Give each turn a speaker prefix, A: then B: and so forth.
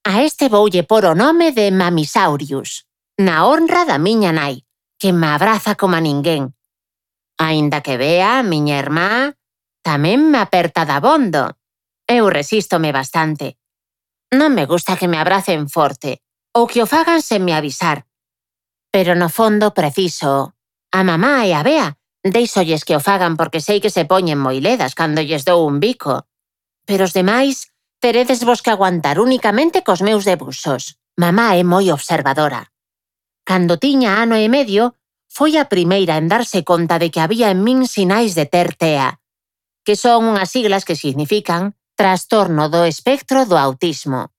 A: A este voulle por o nome de Mamisaurius, na honra da miña nai, que me abraza como a ninguén. Aínda que vea, a miña irmá tamén me aperta dabondo. Eu resístome bastante. Non me gusta que me abracen forte ou que o fagan sen me avisar. Pero no fondo preciso. A mamá e a Bea deixolles que o fagan porque sei que se poñen moi ledas cando lles dou un bico. Pero os demais teredes vos que aguantar únicamente cos meus debuxos. Mamá é moi observadora. Cando tiña ano e medio, foi a primeira en darse conta de que había en min sinais de ter TEA, que son unhas siglas que significan Trastorno do Espectro do Autismo.